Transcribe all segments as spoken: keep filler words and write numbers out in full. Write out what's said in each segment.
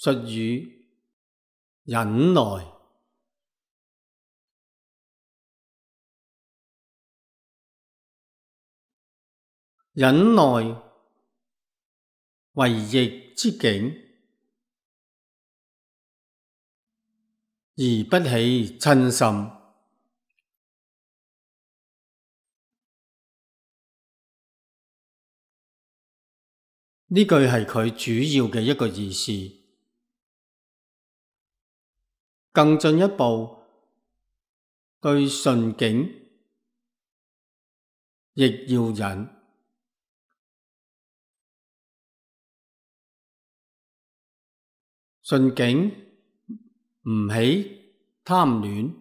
術語忍耐。忍耐為逆之境，而不起瞋心。呢句係佢主要嘅一個意思。更進一步，對順境亦要忍。順境唔起貪戀，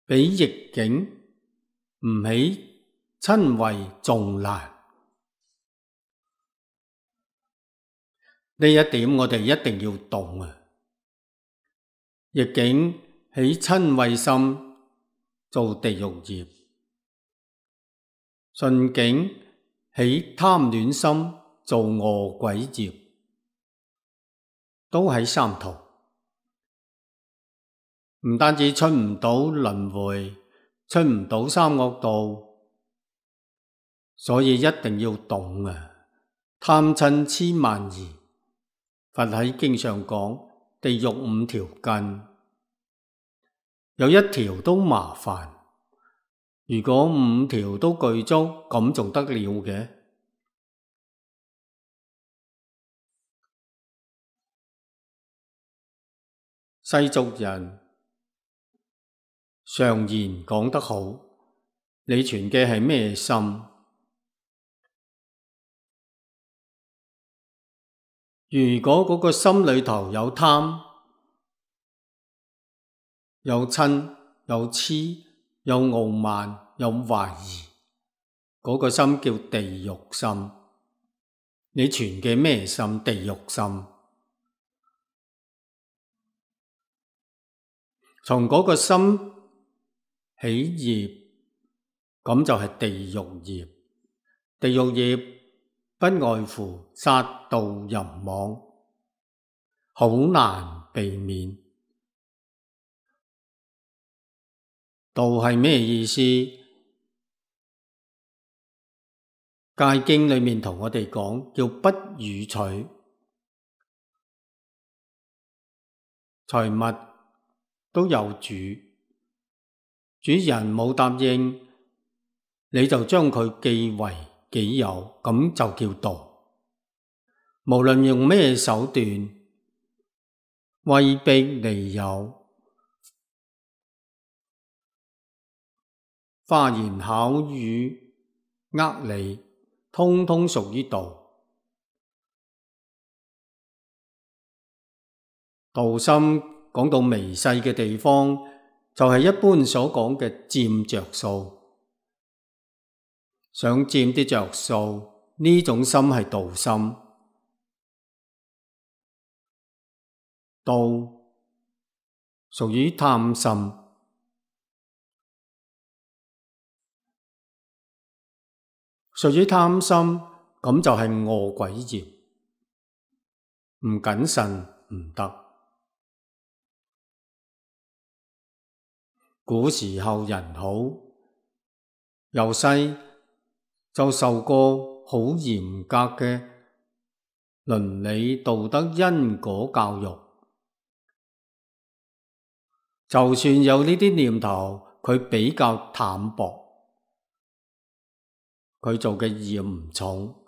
比逆境唔起瞋恚仲難。呢一點我哋一定要懂啊！逆境起瞋恚心做地獄業，順境起貪戀心做餓鬼業，都喺三途，唔單止出唔到輪迴，出唔到三惡道，所以一定要懂啊！貪嗔癡慢疑，佛喺經上講地獄五條根，有一條都麻煩，如果五條都具足，咁仲得了嘅？世俗人常言講得好，你存嘅係咩心？如果嗰個心裏頭有貪、有嗔、有癡、有傲慢、有懷疑，嗰個心叫地獄心。你存嘅咩心？地獄心。從嗰個心起業，咁就係地獄業。地獄業不外乎殺盜淫妄，好難避免。盜係咩意思？戒經裏面同我哋講，叫不與取財物。都有主，主人冇答應，你就將佢記為己有，咁就叫盜。無論用咩手段，威逼利誘、花言巧語呃你，通通屬於盜。盜心講到微細嘅地方，就係一般所講嘅佔着數，想佔啲着數，呢種心係盜心。盜屬於貪心，屬於貪心，咁就係餓鬼業，唔謹慎唔得。古時候人好，由細就受過好嚴格嘅倫理道德因果教育，就算有呢啲念頭，佢比較淡薄，佢做嘅業唔重。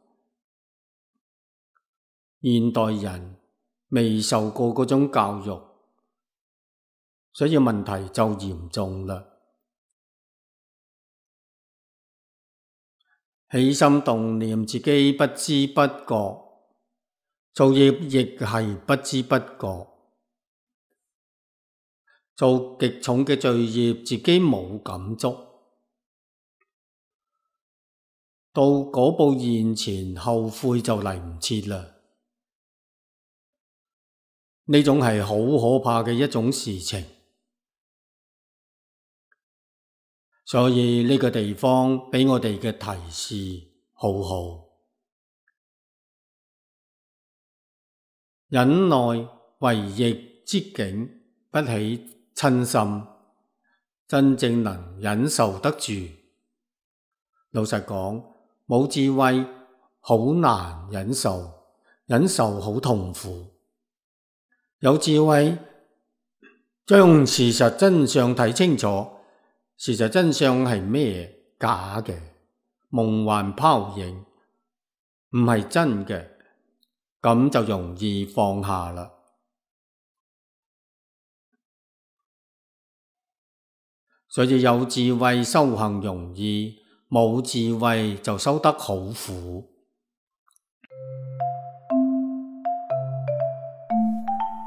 現代人未受過嗰種教育，所以問題就嚴重啦。起心動念自己不知不覺，做業亦係不知不覺，做極重嘅罪業自己冇感觸，到果報現前後悔就嚟唔切啦。呢種係好可怕嘅一種事情。所以呢個地方畀我哋嘅提示好好。忍耐為逆之境，不起瞋心，真正能忍受得住。老實講，冇智慧好難忍受，忍受好痛苦。有智慧將事實真相睇清楚，事實真相係咩？假嘅，夢幻泡影，唔係真嘅，咁就容易放下啦。所以有智慧修行容易，冇智慧就修得好苦。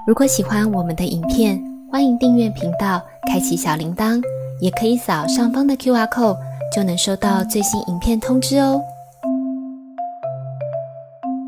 如果喜歡我們的影片，歡迎訂閱頻道，開啟小鈴鐺，也可以掃上方的 Q R code，就能收到最新影片通知哦。